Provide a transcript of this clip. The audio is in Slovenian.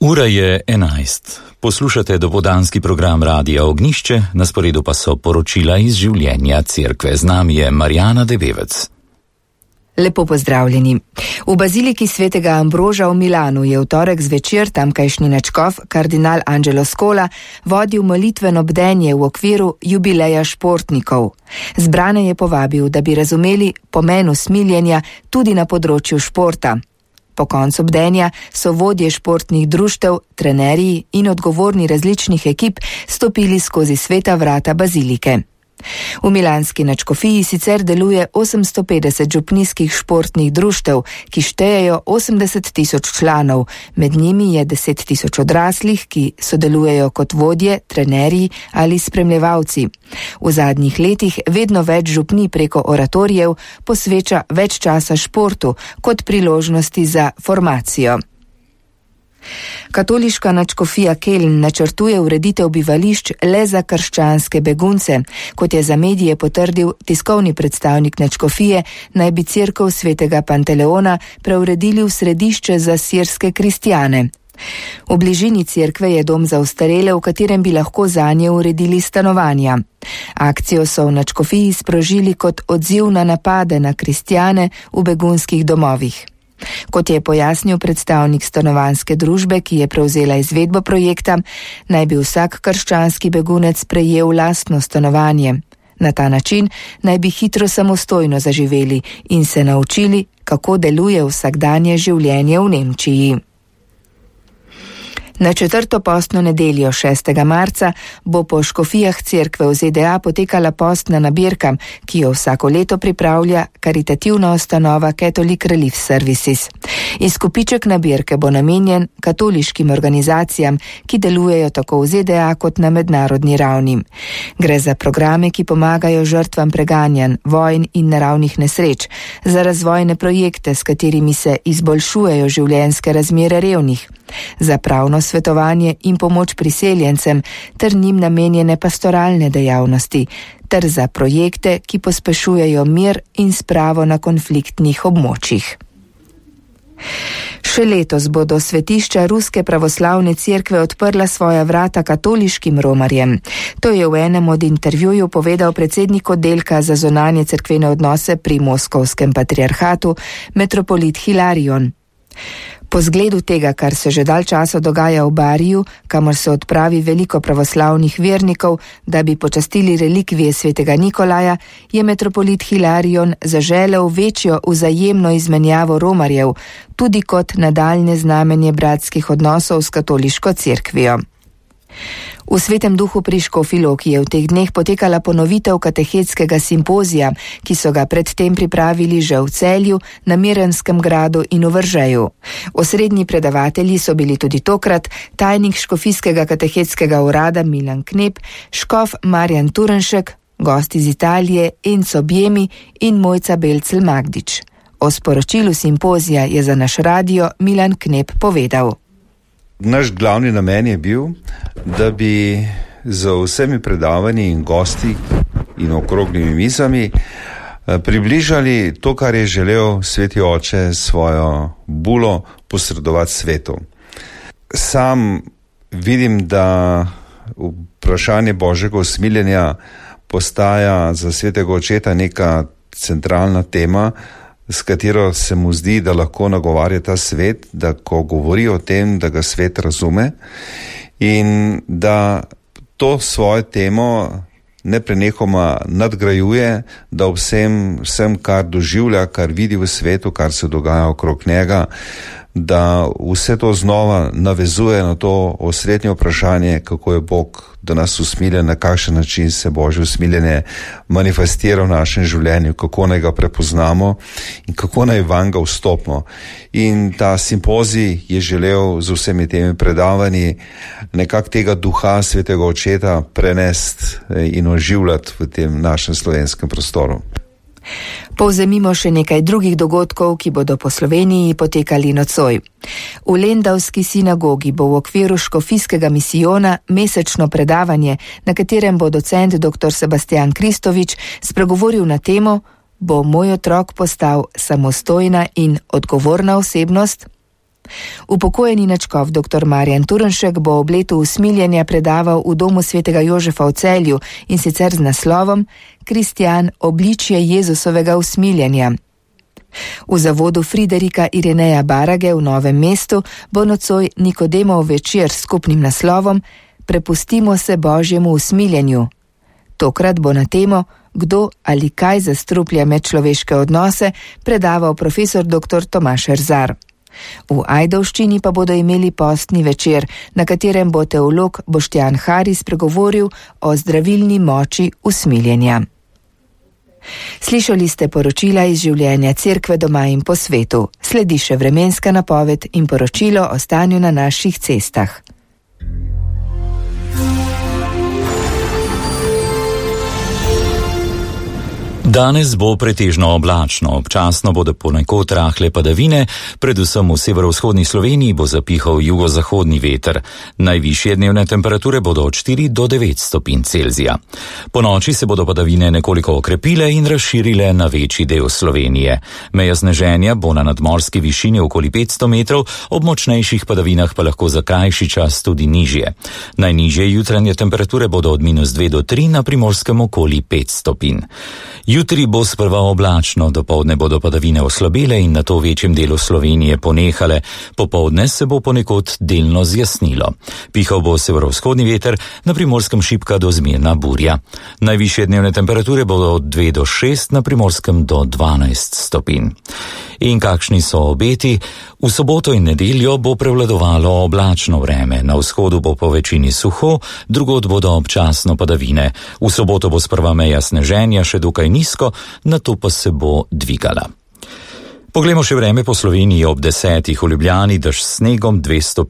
Ura je 11. Poslušate dopoldanski program Radia Ognjišče, na sporedu pa so poročila iz življenja cerkve. Z nami je Marjana Debevec. Lepo pozdravljeni. V baziliki svetega Ambroža v Milanu je v torek zvečer tamkajšnji nadškof kardinal Angelo Scola vodil molitveno bdenje v okviru jubileja športnikov. Zbrane je povabil, da bi razumeli pomen usmiljenja tudi na področju športa. Po koncu bdenja so vodje športnih društev, trenerji in odgovorni različnih ekip stopili skozi sveta vrata bazilike. V milanski nadškofiji sicer deluje 850 župnijskih športnih društev, ki štejejo 80.000 članov, med njimi je 10.000 odraslih, ki sodelujejo kot vodje, trenerji ali spremljevalci. V zadnjih letih vedno več župnij preko oratorijev posveča več časa športu kot priložnosti za formacijo. Katoliška nadškofija Keln načrtuje ureditev bivališč le za krščanske begunce. Kot je za medije potrdil tiskovni predstavnik nadškofije, naj bi cerkev svetega Panteleona preuredili v središče za sirske kristjane. V bližini cerkve je dom za ostarele, v katerem bi lahko zanje uredili stanovanja. Akcijo so v nadškofiji sprožili kot odziv na napade na kristjane v begunskih domovih. Kot je pojasnil predstavnik stanovanjske družbe, ki je prevzela izvedbo projekta, naj bi vsak krščanski begunec prejel lastno stanovanje. Na ta način naj bi hitro samostojno zaživeli in se naučili, kako deluje vsakdanje življenje v Nemčiji. Na 4. postno nedeljo 6. marca bo po škofijah cerkve v ZDA potekala postna nabirka, ki jo vsako leto pripravlja karitativna ustanova Catholic Relief Services. Izkupiček nabirke bo namenjen katoliškim organizacijam, ki delujejo tako v ZDA kot na mednarodni ravni. Gre za programe, ki pomagajo žrtvam preganjanj, vojn in naravnih nesreč, za razvojne projekte, s katerimi se izboljšujejo življenjske razmere revnih, za pravno svetovanje in pomoč priseljencem ter njim namenjene pastoralne dejavnosti, ter za projekte, ki pospešujejo mir in spravo na konfliktnih območjih. Še letos bodo svetišča Ruske pravoslavne cerkve odprla svoja vrata katoliškim romarjem. To je v enem od intervjujev povedal predsednik oddelka za zunanje cerkvene odnose pri Moskovskem patriarhatu, metropolit Hilarion. Po zgledu tega, kar se že dalj časa dogaja v Bariju, kamor se odpravi veliko pravoslavnih vernikov, da bi počastili relikvije svetega Nikolaja, je metropolit Hilarion zaželel večjo vzajemno izmenjavo romarjev, tudi kot nadaljnje znamenje bratskih odnosov s katoliško cerkvijo. V Svetem duhu pri Škofji Loki je v teh dneh potekala ponovitev katehetskega simpozija, ki so ga predtem pripravili že v Celju, na Mirenskem gradu in v Vržeju. Osrednji predavatelji so bili tudi tokrat tajnik škofijskega katehetskega urada Milan Knep, škof Marjan Turenšek, gost iz Italije Enzo Bjemi in Mojca Belcel Magdič. O sporočilu simpozija je za naš radio Milan Knep povedal. Naš glavni namen je bil, da bi z vsemi predavanji in gosti in okroglimi mizami približali to, kar je želel sveti oče svojo bulo posredovati svetu. Sam vidim, da vprašanje Božjega usmiljenja postaja za svetega očeta neka centralna tema, s katero se mu zdi, da lahko nagovarja ta svet, da ko govori o tem, da ga svet razume in da to svojo temo neprenehoma nadgrajuje, da vsem, kar doživlja, kar vidi v svetu, kar se dogaja okrog njega, da vse to znova navezuje na to osrednje vprašanje, kako je Bog do nas usmiljen, na kakšen način se Božje usmiljenje manifestira v našem življenju, kako naj ga prepoznamo in kako naj vanj ga vstopimo. In ta simpozij je želel z vsemi temi predavanji nekako tega duha svetega očeta prenesti in oživljati v tem našem slovenskem prostoru. Povzemimo še nekaj drugih dogodkov, ki bodo po Sloveniji potekali nocoj. V Lendavski sinagogi bo v okviru škofijskega misijona mesečno predavanje, na katerem bo docent dr. Sebastian Kristovič spregovoril na temo Bo moj otrok postal samostojna in odgovorna osebnost? Upokojeni nadškof dr. Marjan Turnšek bo ob letu usmiljenja predaval v domu svetega Jožefa v Celju, in sicer z naslovom Kristjan, obličje Jezusovega usmiljenja. V zavodu Friderika Ireneja Barage v Novem mestu bo nocoj Nikodemov večer s skupnim naslovom Prepustimo se Božjemu usmiljenju. Tokrat bo na temo Kdo ali kaj zastruplja medčloveške odnose predaval profesor dr. Tomaž Erzar. V Ajdovščini pa bodo imeli postni večer, na katerem bo teolog Boštjan Haris pregovoril o zdravilni moči usmiljenja. Slišali ste poročila iz življenja Cerkve doma in po svetu. Sledi še vremenska napoved in poročilo o stanju na naših cestah. Danes bo pretežno oblačno, občasno bodo ponekod rahle padavine, predvsem v severovzhodni Sloveniji bo zapihal jugozahodni veter. Najvišje dnevne temperature bodo od 4 do 9 stopinj Celzija. Po noči se bodo padavine nekoliko okrepile in razširile na večji del Slovenije. Meja sneženja bo na nadmorski višini okoli 500 metrov, ob močnejših padavinah pa lahko za krajši čas tudi nižje. Najnižje jutranje temperature bodo od -2 do 3, na Primorskem okoli 5 stopinj. Jutri bo sprva oblačno, dopoldne bodo padavine oslabele in nato v večjem delu Slovenije ponehale. Popoldne se bo ponekod delno zjasnilo. Pihal bo severovzhodni veter, na Primorskem šibka do zmerna burja. Najvišje dnevne temperature bodo od 2 do 6, na Primorskem do 12 stopinj. In kakšni so obeti? V soboto in nedeljo bo prevladovalo oblačno vreme, na vzhodu bo po večini suho, drugod bodo občasno padavine. V soboto bo sprva meja sneženja še dokaj nizko, nato pa se bo dvigala. Poglejmo še vreme po Sloveniji ob 10. v Ljubljani, dež s snegom 2 stopinj.